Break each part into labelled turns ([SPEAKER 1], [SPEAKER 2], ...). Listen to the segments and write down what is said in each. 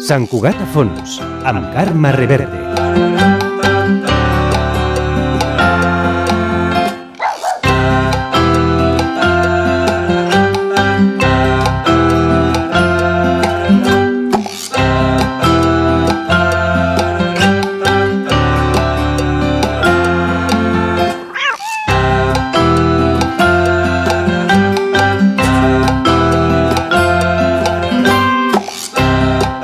[SPEAKER 1] Sant Cugat a fons, amb Carme Reverte.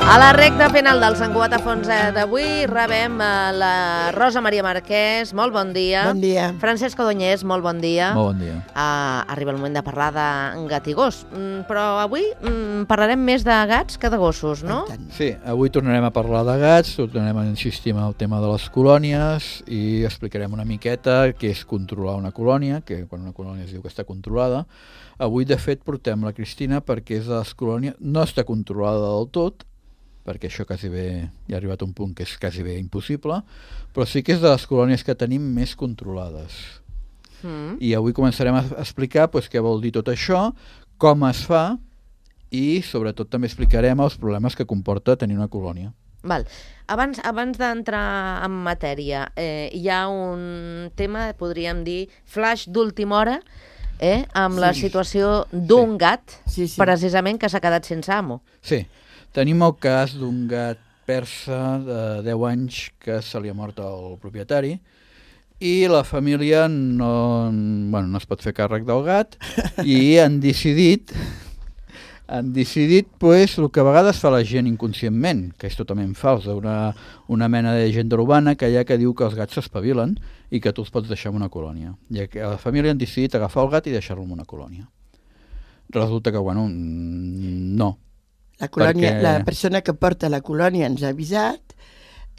[SPEAKER 2] A la recta final del Sant Cugat a fons d'avui rebem la Rosa Maria Marquès, molt bon dia.
[SPEAKER 3] Bon dia.
[SPEAKER 2] Francesc Codonyés, molt bon dia.
[SPEAKER 4] Molt bon dia.
[SPEAKER 2] Arriba el moment de parlar de gat i gos, però avui parlarem més de gats que de gossos, no?
[SPEAKER 4] Sí, avui tornarem a parlar de gats, tornarem a insistir en el tema de les colònies i explicarem una miqueta què és controlar una colònia, que quan una colònia es diu que està controlada. Avui, de fet, portem la Cristina perquè és de les colònies, no està controlada del tot, perquè això quasi bé ja ha arribat a un punt que és quasi bé impossible, però sí que és de les colònies que tenim més controlades. I avui començarem a explicar què vol dir tot això, com es fa i sobretot també explicarem els problemes que comporta tenir una colònia.
[SPEAKER 2] Val. Abans d'entrar en matèria, hi ha un tema, podríem dir, flash d'última hora, amb la situació d'un gat, precisament, que s'ha quedat sense amo.
[SPEAKER 4] Sí. Tenim el cas d'un gat persa de 10 anys que se li ha mort el propietari i la família no es pot fer càrrec del gat i han decidit el que a vegades fa la gent inconscientment, que és totalment fals, una mena de llegenda urbana que hi ha que diu que els gats s'espavilen i que tu els pots deixar en una colònia. I la família han decidit agafar el gat i deixar-lo en una colònia. Resulta que, no.
[SPEAKER 3] La persona que porta la colònia ens ha avisat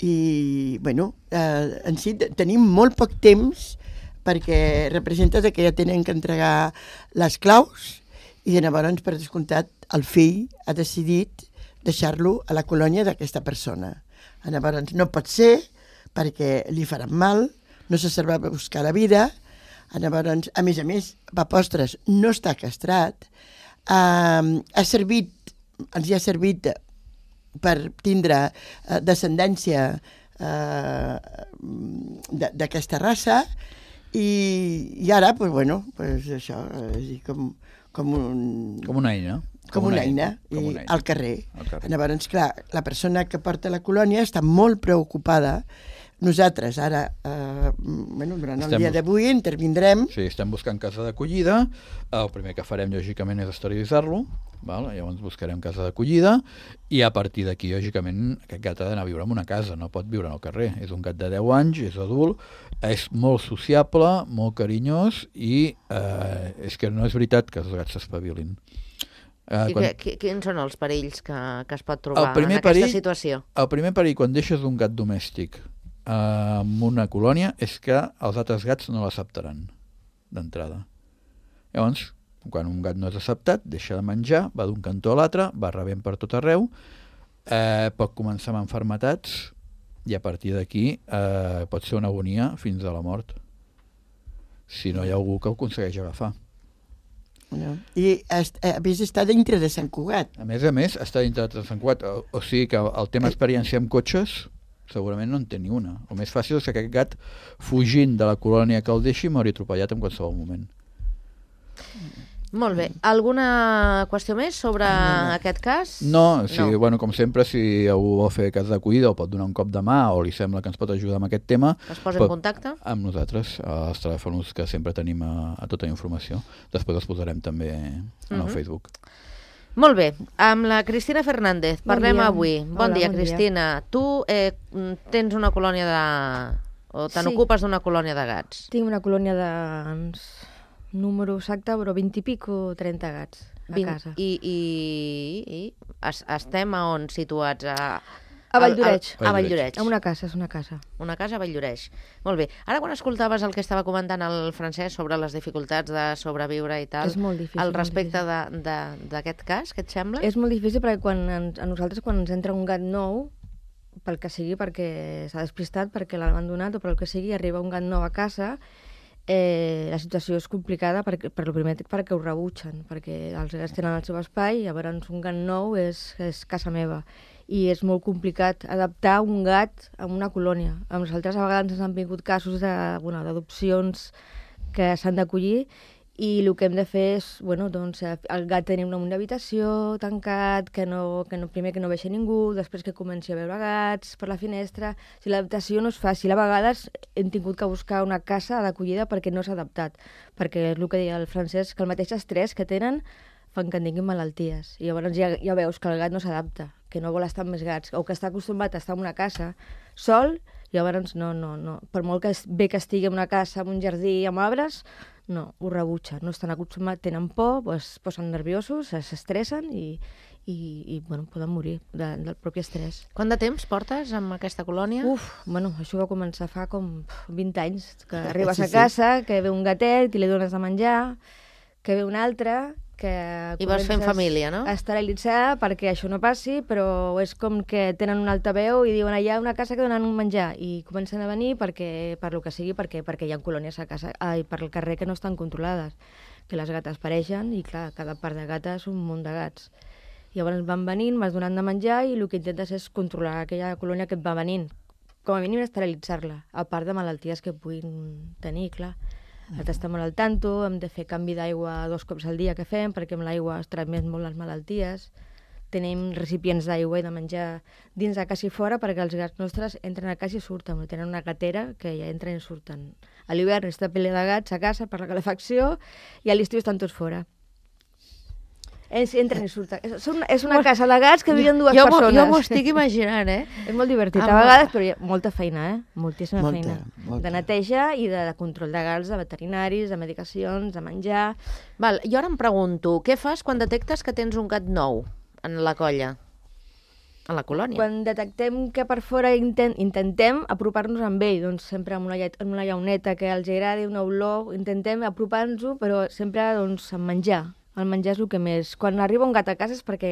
[SPEAKER 3] i, en si tenim molt poc temps perquè representa que ja tenen que entregar les claus i llavors, per descomptat, el fill ha decidit deixar-lo a la colònia d'aquesta persona. Llavors, no pot ser perquè li faran mal, no se servà a buscar la vida, llavors, a més, papostres, no està castrat, ens hi ha servit per tindre descendència d'aquesta raça i ara, això, és com
[SPEAKER 4] una eina.
[SPEAKER 3] Com una eina, al carrer. Llavors, clar, la persona que porta la colònia està molt preocupada. Nosaltres ara, durant el dia d'avui, intervindrem.
[SPEAKER 4] Sí, estem buscant casa d'acollida. El primer que farem, lògicament, és esterilitzar-lo. Llavors buscarem casa d'acollida i a partir d'aquí, lògicament, aquest gat ha d'anar a viure en una casa, no pot viure al carrer. És un gat de 10 anys, és adult, és molt sociable, molt carinyós i és que no és veritat que els gats s'espavilin.
[SPEAKER 2] Quins són els perills que es pot trobar en aquesta situació?
[SPEAKER 4] El primer perill, quan deixes un gat domèstic en una colònia, és que els altres gats no l'acceptaran d'entrada. Llavors, quan un gat no és acceptat, deixa de menjar, va d'un cantó a l'altre, va rebent per tot arreu, pot començar amb malalties i a partir d'aquí pot ser una agonia fins a la mort, si no hi ha algú que ho aconsegueix agafar.
[SPEAKER 3] I a més està dintre de Sant Cugat.
[SPEAKER 4] A més, està dintre de Sant Cugat, o sigui que el tema experiència amb cotxes segurament no en té ni una. El més fàcil és que aquest gat, fugint de la colònia que el deixi, mori atropellat en qualsevol moment.
[SPEAKER 2] Molt bé. Alguna qüestió més sobre aquest cas?
[SPEAKER 4] No, com sempre, si algú vol fer cas d'acollida o pot donar un cop de mà o li sembla que ens pot ajudar amb aquest tema,
[SPEAKER 2] es posa en contacte?
[SPEAKER 4] Amb nosaltres, als telèfons que sempre tenim a tota la informació. Després els posarem també en el Facebook.
[SPEAKER 2] Molt bé, amb la Cristina Fernández parlem avui. Bon dia, Cristina. Tu tens una colònia o ocupes d'una colònia de gats?
[SPEAKER 5] Tinc una colònia de número exacte, però 20 i pico, 30 gats a casa.
[SPEAKER 2] I estem a on situats?
[SPEAKER 5] A Valldoreix.
[SPEAKER 2] A Valldoreix.
[SPEAKER 5] A una casa, és una casa.
[SPEAKER 2] Una casa a Valldoreix. Molt bé. Ara, quan escoltaves el que estava comentant el Francesc sobre les dificultats de sobreviure i tal,
[SPEAKER 5] és molt difícil,
[SPEAKER 2] al respecte d'aquest cas, què et sembla?
[SPEAKER 5] És molt difícil perquè a nosaltres, quan ens entra un gat nou, pel que sigui, perquè s'ha despistat, perquè l'ha abandonat o pel que sigui, arriba un gat nou a casa, la situació és complicada per lo primer perquè ho rebutgen, perquè els gats tenen el seu espai i llavors un gat nou és casa meva. i és molt complicat adaptar un gat a una colònia. A nosaltres a vegades ens han vingut casos d'adopcions que s'han d'acollir i el que hem de fer és, doncs, el gat tenir una habitació tancat, primer que no vegi ningú, després que comenci a veure gats per la finestra. Si l'adaptació no és fàcil, a vegades hem tingut que buscar una casa d'acollida perquè no s'ha adaptat, perquè és el que deia el Francesc, que el mateix estrès que tenen fan que en tinguin malalties. I llavors ja veus que el gat no s'adapta, que no vol estar amb més gats, o que està acostumat a estar en una casa sol, llavors no. Per molt que bé que estigui en una casa, en un jardí, amb arbres, no, ho rebutja, no estan acostumats, tenen por, es posen nerviosos, s'estressen i poden morir del propi estrès.
[SPEAKER 2] Quant de temps portes amb aquesta colònia?
[SPEAKER 5] Això va començar fa com 20 anys, que arribes a casa, que ve un gatet i li dones de menjar, que ve un altre, que
[SPEAKER 2] i vas fent família, no?
[SPEAKER 5] A esterilitzar perquè això no passi, però és com que tenen un altaveu i diuen allà una casa que donen un menjar i comencen a venir per lo que sigui, perquè hi ha colònies a casa i per al carrer que no estan controlades, que les gates pareixen i clar, cada part de gata és un munt de gats. Llavors van venint, vas donant de menjar i el que intentes és controlar aquella colònia que et va venint, com a mínim esterilitzar-la, a part de malalties que puguin tenir, clar. Estem molt al tanto, hem de fer canvi d'aigua 2 cops al dia que fem, perquè amb l'aigua es transmet molt les malalties. Tenim recipients d'aigua i de menjar dins de casa i fora, perquè els gats nostres entren a casa i surten. Tenen una gatera que ja entren i surten. A l'hivern està ple de gats a casa per la calefacció i a l'estiu estan tots fora. Entren i surten. És una casa de gats que viuen 2 persones.
[SPEAKER 2] Jo m'ho estic imaginant,
[SPEAKER 5] És molt divertit. A vegades, però hi ha molta feina, moltíssima feina. De neteja i de control de gats, de veterinaris, de medicacions, de menjar.
[SPEAKER 2] Val, jo ara em pregunto, què fas quan detectes que tens un gat nou en la colla? En la colònia.
[SPEAKER 5] Quan detectem que per fora intentem apropar-nos amb ell, doncs sempre amb una llauneta que els agradi, una olor, intentem apropar-nos-ho, però sempre doncs, amb menjar. El menjar és el que més... Quan arriba un gat a casa és perquè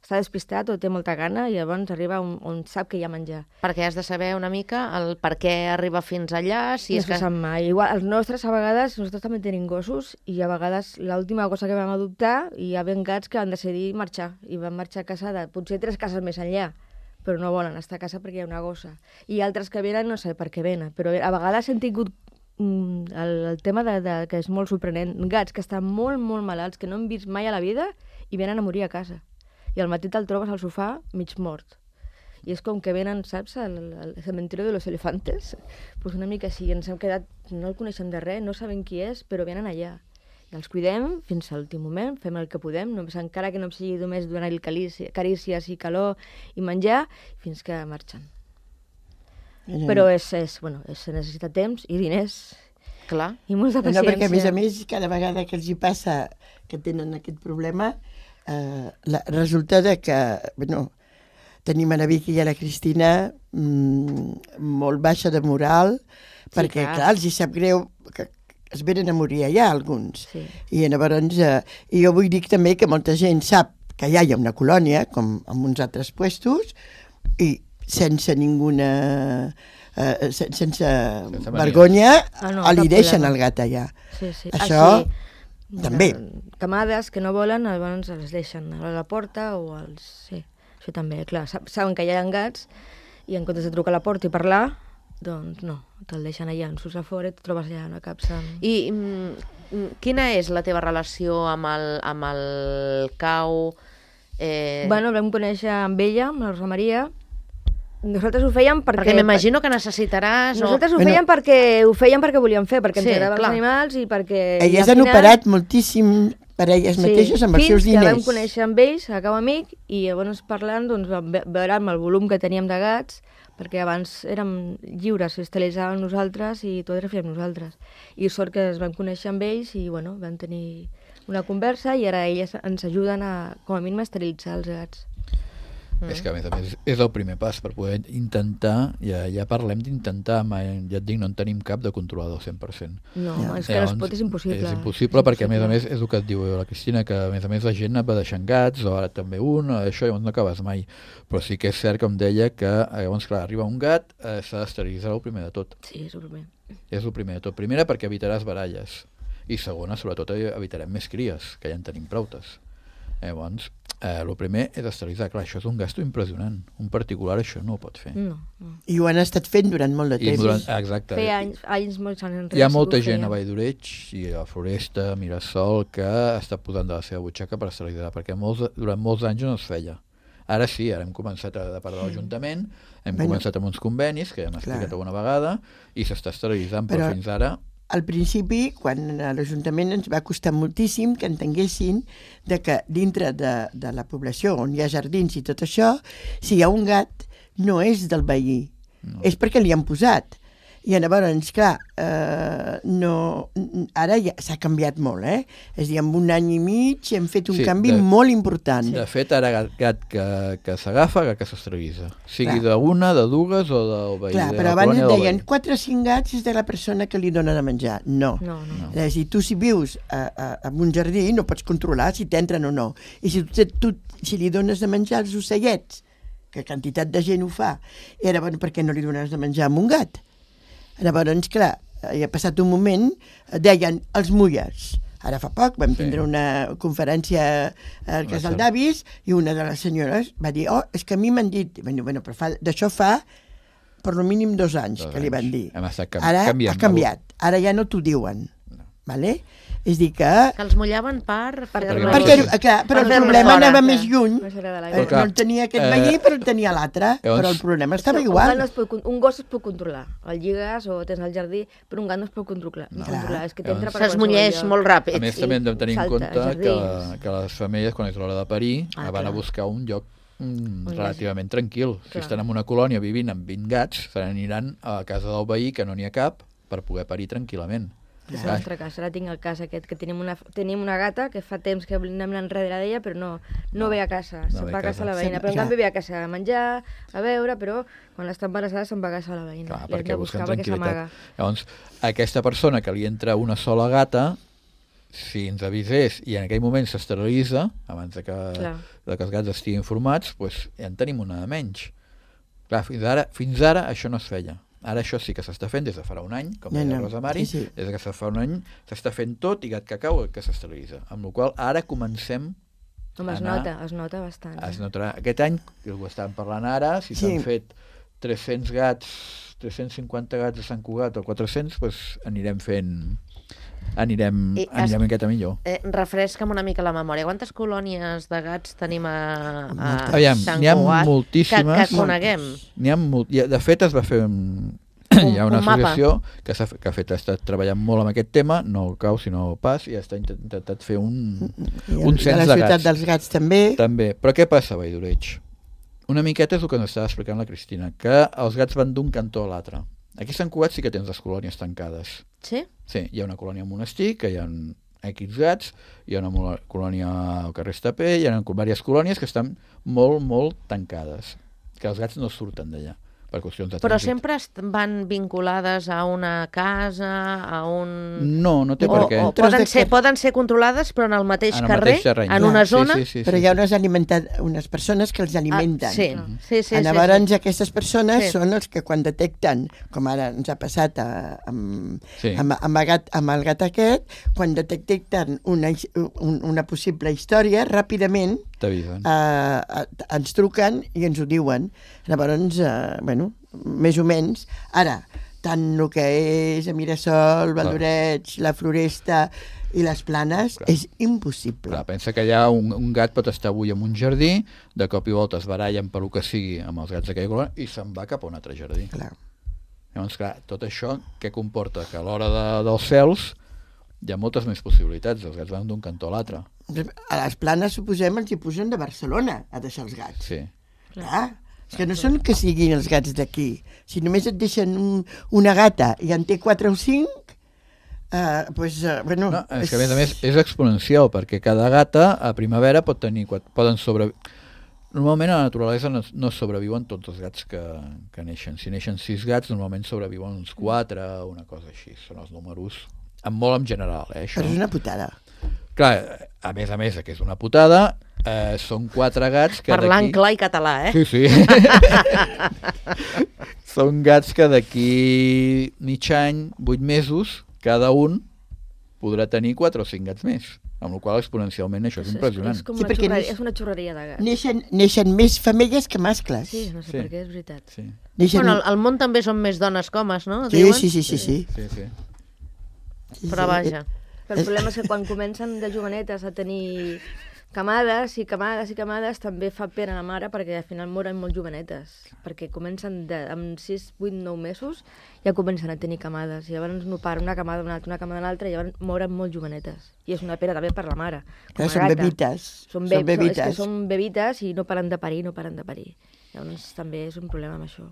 [SPEAKER 5] està despistat o té molta gana i llavors arriba on sap que hi ha menjar.
[SPEAKER 2] Perquè has de saber una mica el per què arriba fins allà, si
[SPEAKER 5] no se sap mai. Igual, els nostres, a vegades, nosaltres també tenim gossos i a vegades l'última cosa que vam adoptar hi havia gats que van decidir marxar i van marxar a casa de potser 3 cases més enllà, però no volen estar a casa perquè hi ha una gossa. I altres que venen no sé per què venen, però a vegades hem tingut el tema que és molt sorprenent, gats que estan molt, molt malalts, que no han vist mai a la vida i venen a morir a casa. I al matí te'l trobes al sofà mig mort. I és com que venen, saps, al cementerio de los elefantes. Pues una mica així, ens hem quedat, no el coneixem de res, no sabem qui és, però venen allà. I els cuidem fins a l'últim moment, fem el que podem, encara que no sigui només donar-li carícies i calor i menjar, fins que marxen. Però se necessita temps i diners.
[SPEAKER 2] Clar.
[SPEAKER 5] I molta paciència.
[SPEAKER 3] Perquè a més, cada vegada que els hi passa que tenen aquest problema, resulta que, tenim a la Vicky i a la Cristina molt baixa de moral, perquè, clar, els hi sap greu que es venen a morir allà, alguns.
[SPEAKER 5] Sí.
[SPEAKER 3] I llavors, jo vull dir també que molta gent sap que allà hi ha una colònia, com en uns altres puestos, i sense ninguna... sense vergonya, li deixen el gat allà.
[SPEAKER 5] Sí.
[SPEAKER 3] Això també.
[SPEAKER 5] Camades que no volen, llavors els deixen a la porta o els... Sí, això també, clar. Saben que hi ha gats i en comptes de trucar a la porta i parlar, doncs no, te'l deixen allà, en surts a fora i et trobes allà una capsa.
[SPEAKER 2] I quina és la teva relació amb el cau?
[SPEAKER 5] El vam conèixer amb ella, amb la Rosa Maria. Nosaltres ho fèiem perquè
[SPEAKER 2] m'imagino que necessitaràs...
[SPEAKER 5] Nosaltres ho fèiem perquè volíem fer, perquè ens agradaven els animals i perquè...
[SPEAKER 3] Elles han operat moltíssim per elles mateixes amb els seus diners.
[SPEAKER 5] Fins que vam conèixer amb ells, a Cau Amic, i llavors parlant, doncs, veurem el volum que teníem de gats, perquè abans érem lliures, esterilitzàvem nosaltres i tot era fèiem nosaltres. I sort que es vam conèixer amb ells i, vam tenir una conversa i ara elles ens ajuden a, com a mínim, a esterilitzar els gats.
[SPEAKER 4] És que, a més, és el primer pas per poder intentar, ja parlem d'intentar, ja et dic, no en tenim cap de controlador 100%.
[SPEAKER 5] No, és que no es pot, és impossible.
[SPEAKER 4] És impossible perquè, a més, és el que et diu la Cristina, que a més la gent et va deixant gats, o ara també això llavors no acabes mai. Però sí que és cert, com deia, que llavors, clar, arriba un gat, s'ha d'esterilitzar el primer de tot.
[SPEAKER 5] Sí, és el primer.
[SPEAKER 4] És el primer de tot. Primera, perquè evitaràs baralles. I segona, sobretot, evitarem més cries, que ja en tenim proutes. Llavors, el primer és esterilitzar. Clar, això és un gasto impressionant. Un particular això no ho pot fer.
[SPEAKER 5] No.
[SPEAKER 3] I ho han estat fent durant molt de temps.
[SPEAKER 4] Exacte.
[SPEAKER 5] Feia anys molts anys enrere.
[SPEAKER 4] Hi ha molta gent a Valldoreig i a Floresta, a Mirasol, que està posant de la seva butxaca per esterilitzar, perquè durant molts anys no es feia. Ara sí, ara hem començat de part de l'Ajuntament, hem començat amb uns convenis, que hem explicat alguna vegada, i s'està esterilitzant, però fins ara...
[SPEAKER 3] Al principi, quan a l'Ajuntament ens va costar moltíssim que entenguessin que dintre de la població on hi ha jardins i tot això, si hi ha un gat, no és del veí, és perquè li han posat. I llavors, clar, ara ja s'ha canviat molt, És a dir, en un any i mig hem fet un canvi molt important.
[SPEAKER 4] De fet, ara gat que s'agafa, gat que s'esterilitza. Sigui d'una, de dues o del veí.
[SPEAKER 3] Clar, però abans deien 4 o 5 gats és de la persona que li dona de menjar. No. És a dir, tu si vius en un jardí no pots controlar si t'entren o no. I si li dones de menjar als ocellets, que quantitat de gent ho fa, i ara, per què no li dones de menjar a un gat? Llavors, clar, ha passat un moment, deien els mulles. Ara fa poc vam tindre una conferència al Casal d'Avis i una de les senyores va dir, és que a mi m'han dit, però d'això fa per lo mínim 2 anys que li van dir. Ara ha canviat, ara ja no t'ho diuen. Vale? És dir que
[SPEAKER 2] els mullaven per...
[SPEAKER 3] Però el problema anava més lluny. No el tenia aquest veí, però el tenia l'altre. Però el problema estava igual.
[SPEAKER 5] Un gos es pot controlar. El lligues o tens al jardí, però un gat no es pot controlar. És que t'entra per
[SPEAKER 2] s'esmulleix molt ràpid.
[SPEAKER 4] A més, també hem de tenir en compte que les femelles, quan és l'hora de parir, van a buscar un lloc relativament tranquil. Si estan en una colònia vivint amb 20 gats, se n'aniran a la casa del veí, que no n'hi ha cap, per poder parir tranquil·lament.
[SPEAKER 5] És el nostre cas, ara tinc el cas aquest, que tenim una gata que fa temps que anem enrere d'ella, però no ve a casa, se'n va a casa la veïna. Però en canvi ve a casa a menjar, a beure, però quan està embarassada se'n va a casa la veïna.
[SPEAKER 4] Clar, perquè busquen tranquil·litat. Llavors, aquesta persona que li entra una sola gata, si ens avisés i en aquell moment s'esterilitza, abans que els gats estiguin formats, doncs ja en tenim una de menys. Clar, fins ara això no es feia. Ara això sí que s'està fent des de farà un any, com deia Rosa Mari, des que fa un any s'està fent tot i gat que cau que s'esterilitza. Amb la qual cosa ara comencem
[SPEAKER 5] a anar... Es nota bastant.
[SPEAKER 4] Es notarà. Aquest any, que ho estàvem parlant ara, si s'han fet 300 gats, 350 gats de Sant Cugat o 400, doncs anirem una miqueta millor.
[SPEAKER 2] Refresca'm una mica la memòria. Quantes colònies de gats tenim a Sant Cugat?
[SPEAKER 4] N'hi ha moltíssimes.
[SPEAKER 2] Que coneguem.
[SPEAKER 4] De fet, es va fer hi ha una associació que ha estat treballant molt amb aquest tema, no cau sinó pas, i ha intentat fer un cens de gats.
[SPEAKER 3] La ciutat dels gats també.
[SPEAKER 4] Però què passa a Valldoreig? Una miqueta és el que ens estava explicant la Cristina, que els gats van d'un cantó a l'altre. Aquí a Sant Cugat sí que tens les colònies tancades.
[SPEAKER 2] Sí?
[SPEAKER 4] Sí, hi ha una colònia al Monestir, que hi ha X gats, hi ha una colònia al carrer Estapé, hi ha diverses colònies que estan molt, molt tancades, que els gats no surten d'allà. per qüestions de trànsit.
[SPEAKER 2] Però sempre van vinculades a una casa, a un...
[SPEAKER 4] No, no té per què.
[SPEAKER 2] Poden ser controlades, però en el mateix carrer, en una zona...
[SPEAKER 3] Però hi ha unes persones que els alimenten.
[SPEAKER 2] Sí.
[SPEAKER 3] Llavors, aquestes persones són els que quan detecten, com ara ens ha passat amb el gat aquest, quan detecten una possible història, ràpidament ens truquen i ens ho diuen. Llavors, més o menys, ara, tant el que és a Mirasol, Valldoreig, la Floresta i les Planes, és impossible.
[SPEAKER 4] Clar, pensa que allà un gat pot estar avui en un jardí, de cop i volta es barallen per el que sigui amb els gats d'aquella colònia i se'n va cap a un altre jardí. Llavors, clar, tot això què comporta? Que a l'hora dels cels hi ha moltes més possibilitats, els gats van d'un cantó a l'altre.
[SPEAKER 3] A les Planes, suposem, els hi posen de Barcelona a deixar els gats.
[SPEAKER 4] Sí.
[SPEAKER 3] Clar, és que no són que siguin els gats d'aquí. Si només et deixen una gata i en té 4 o 5, és
[SPEAKER 4] que a més és exponencial, perquè cada gata a primavera poden sobreviure. Normalment a la naturalesa no sobreviuen tots els gats que neixen. Si neixen 6 gats, normalment sobreviuen uns 4, una cosa així. Són els números, molt en general. Això.
[SPEAKER 3] Però és una putada.
[SPEAKER 4] Clar, a més que és una putada, són 4 gats que
[SPEAKER 2] parlant clar i català,
[SPEAKER 4] Sí. Són gats que d'aquí mig any, 8 mesos, cada un podrà tenir 4 o 5 gats més, amb la qual cosa exponencialment això és impressionant.
[SPEAKER 5] És com una xurreria de gats.
[SPEAKER 3] Neixen més femelles que mascles.
[SPEAKER 5] Sí, no sé per què, és veritat.
[SPEAKER 4] Sí.
[SPEAKER 2] Bueno, al món també són més dones que homes, no?
[SPEAKER 3] Sí.
[SPEAKER 2] Però vaja.
[SPEAKER 5] Però el problema és que quan comencen de jovenetes a tenir camades i camades també fa pena a la mare perquè al final moren molt jovenetes, perquè comencen amb 6, 8, 9 mesos ja comencen a tenir camades, i llavors no para una camada d'una altra, una camada de l'altra, i llavors moren molt jovenetes, i és una pena també per la mare.
[SPEAKER 3] Són bebites.
[SPEAKER 5] És que són bebites i no paren de parir, llavors també és un problema amb això.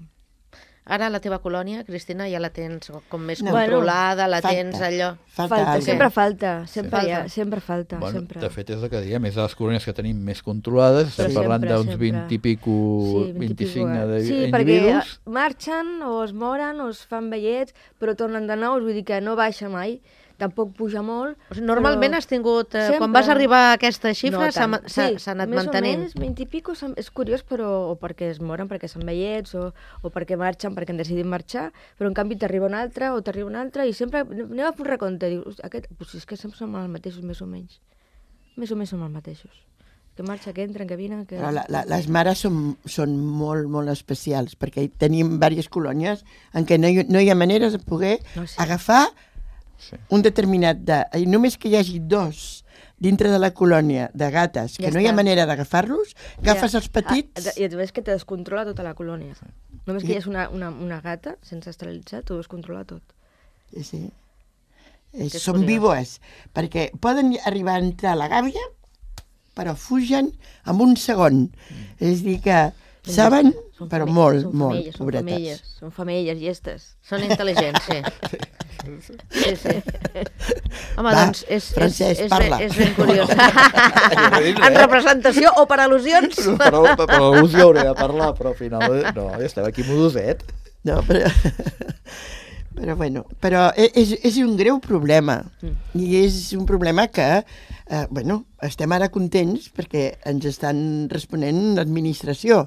[SPEAKER 2] Ara la teva colònia, Cristina, ja la tens com més controlada, tens allò...
[SPEAKER 5] Sempre falta.
[SPEAKER 4] Bueno, de fet, és el que diem, és de les colònies que tenim més controlades, estem parlant d'uns 20 i pico, 25 individus.
[SPEAKER 5] Sí, perquè marxen o es moren o es fan vellets, però tornen de nou, vull dir que no baixa mai. Tampoc puja molt.
[SPEAKER 2] O sigui, normalment has tingut... Quan vas arribar a aquesta xifra s'ha anat mantenint.
[SPEAKER 5] Més o menys, 20 i pico, és curiós, però o perquè es moren, perquè són vellets, o perquè marxen, perquè han decidit marxar, però en canvi t'arriba una altra, i sempre anem a fer un recompte, dius, és que sempre som els mateixos, més o menys. Més o menys som els mateixos. Que marxa, que entren, que vinen...
[SPEAKER 3] Les mares són molt, molt especials, perquè tenim diverses colònies en què no hi ha manera de poder agafar un determinat i només que hi hagi 2 dintre de la colònia de gates que no hi ha manera d'agafar-los, agafes els petits...
[SPEAKER 5] I et veus que te descontrola tota la colònia. Només que hi hagi una gata sense esterilitzar, t'ho descontrola tot.
[SPEAKER 3] Sí. Són víboes, perquè poden arribar a entrar a la gàbia, però fugen en un segon. És a dir que saben, però molt, pobretes.
[SPEAKER 5] Són femelles, llestes.
[SPEAKER 2] Són intel·ligents, sí. Sí. Home, doncs és ben curiós. En representació o per al·lusions?
[SPEAKER 4] Per al·lusió hauria de parlar, però al final no, estem aquí modoset.
[SPEAKER 3] No, però és un greu problema, i és un problema que estem ara contents perquè ens estan responent l'administració.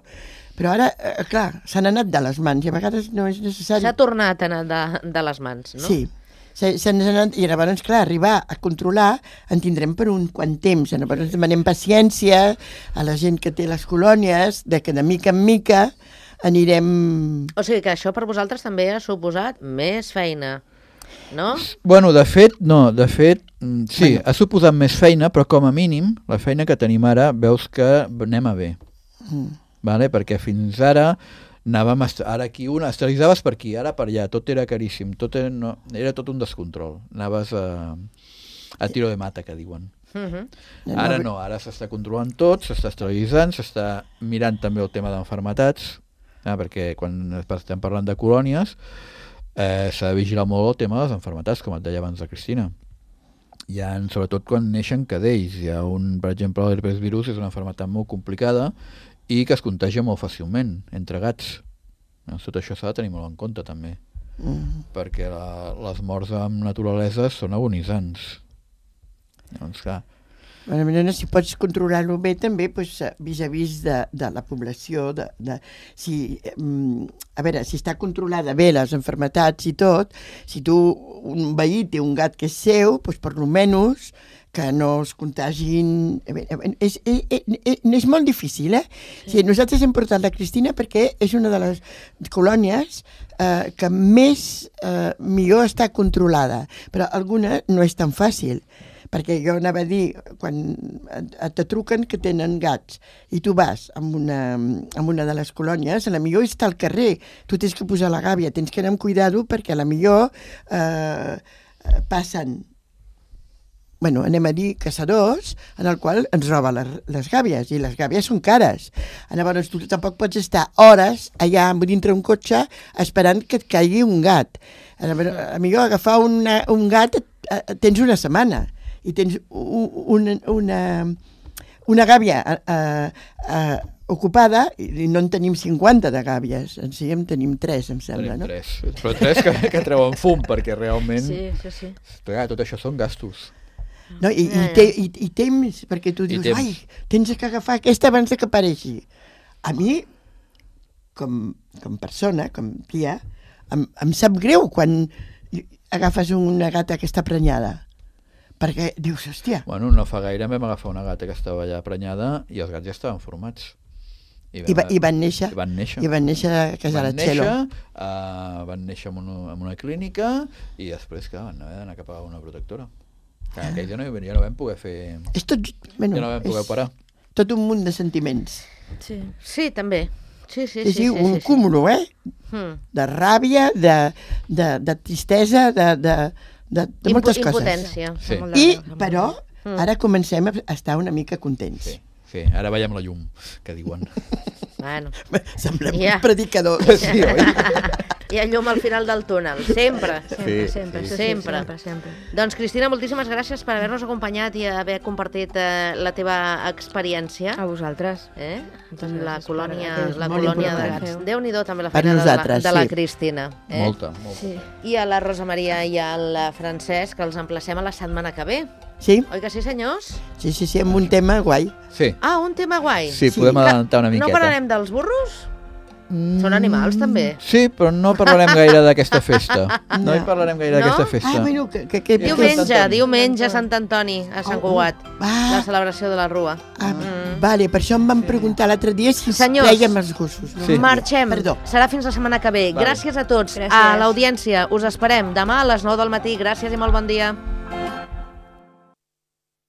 [SPEAKER 3] Però ara, clar, s'han anat de les mans i a vegades no és necessari...
[SPEAKER 2] S'ha tornat a anar de les mans, no?
[SPEAKER 3] Sí, s'han anat, i llavors, clar, arribar a controlar en tindrem per un quant temps. Llavors demanem paciència a la gent que té les colònies, que de mica en mica anirem...
[SPEAKER 2] O sigui que això per vosaltres també ha suposat més feina, no?
[SPEAKER 4] Bueno, de fet, sí, ha suposat més feina, però com a mínim, la feina que tenim ara, veus que anem a bé. Vale? Perquè fins ara anàvem ara aquí esterilitzaves per aquí, ara per allà, tot era caríssim, era tot un descontrol, anaves a tiro de mata, que diuen. Ara no, ara s'està controlant tot, s'està esterilitzant, s'està mirant també el tema d'enfermetats, perquè quan estem parlant de colònies s'ha de vigilar molt el tema de les enfermetats, com et deia abans la Cristina. Sobretot quan neixen cadells, per exemple, l'herpes virus és una enfermetat molt complicada i que es contagia molt fàcilment entre gats. Tot això s'ha de tenir molt en compte també, perquè les morts en naturalesa són agonitzants. Doncs clar,
[SPEAKER 3] si pots controlar-lo bé també vis-a-vis de la població, si està controlada bé les enfermetats i tot, si un veí té un gat que és seu, per almenys que no es contagin... És molt difícil, Sí, nosaltres hem portat la Cristina perquè és una de les colònies que millor està controlada, però alguna no és tan fàcil, perquè jo anava a dir, quan te truquen que tenen gats i tu vas amb una de les colònies, a la millor està al carrer, tu tens que posar la gàbia, tens que anar amb cuidado perquè a la millor passen anem a dir caçadors, en el qual ens roba les gàbies, i les gàbies són cares. Llavors tu tampoc pots estar hores allà dintre un cotxe esperant que et caigui un gat. A millor agafar un gat tens una setmana i tens una gàbia ocupada i no en tenim 50 de gàbies, en tenim 3, em sembla, no?
[SPEAKER 4] Tenim 3, però 3 que treuen fum, perquè realment...
[SPEAKER 5] Sí.
[SPEAKER 4] Tot això són gastos.
[SPEAKER 3] No, i temps, perquè tu dius, tens que agafar aquesta abans que apareixi. A mi, com persona, com tia, em sap greu quan agafes una gata que està prenyada. perquè dius, hòstia...
[SPEAKER 4] Bueno, no fa gaire vam agafar una gata que estava allà prenyada i els gats ja estaven formats.
[SPEAKER 3] I van néixer. I van néixer a casa de la Txelo.
[SPEAKER 4] Van néixer en una clínica i després que van haver d'anar cap a una protectora. Aquell dia ja no vam poder fer... Ja no vam poder operar.
[SPEAKER 3] Tot un munt de sentiments.
[SPEAKER 2] Sí, també.
[SPEAKER 3] Sí, un cúmulo, de ràbia, de tristesa, de moltes coses.
[SPEAKER 2] Impotència.
[SPEAKER 3] Però ara comencem a estar una mica contents.
[SPEAKER 4] Sí, ara veiem la llum, que diuen.
[SPEAKER 2] Bueno.
[SPEAKER 3] Semblem un predicador.
[SPEAKER 4] Sí, oi?
[SPEAKER 2] Hi ha llum al final del túnel, sempre.
[SPEAKER 5] Sempre.
[SPEAKER 2] Doncs, Cristina, moltíssimes gràcies per haver-nos acompanyat i haver compartit la teva experiència.
[SPEAKER 5] A vosaltres.
[SPEAKER 2] La colònia de gats. Déu-n'hi-do també la feina de la Cristina.
[SPEAKER 4] Molta.
[SPEAKER 2] Sí. I a la Rosa Maria i al Francesc, que els emplacem a la setmana que ve.
[SPEAKER 3] Sí.
[SPEAKER 2] Oi que sí, senyors?
[SPEAKER 3] Sí, amb un tema guai.
[SPEAKER 4] Sí.
[SPEAKER 2] Un tema guai.
[SPEAKER 4] Sí, podem adelantar una miqueta.
[SPEAKER 2] No parlarem dels burros? Són animals, també.
[SPEAKER 4] Sí, però no parlarem gaire d'aquesta festa. No hi parlarem gaire d'aquesta festa.
[SPEAKER 3] Bueno,
[SPEAKER 2] diumenge, Sant Antoni, a Sant Cugat. La celebració de la Rua.
[SPEAKER 3] Vale, per això em van preguntar l'altre dia si treiem els gossos.
[SPEAKER 2] Marxem. Serà fins la setmana que ve. Gràcies a tots. A l'audiència us esperem demà a les 9 del matí. Gràcies i molt bon dia.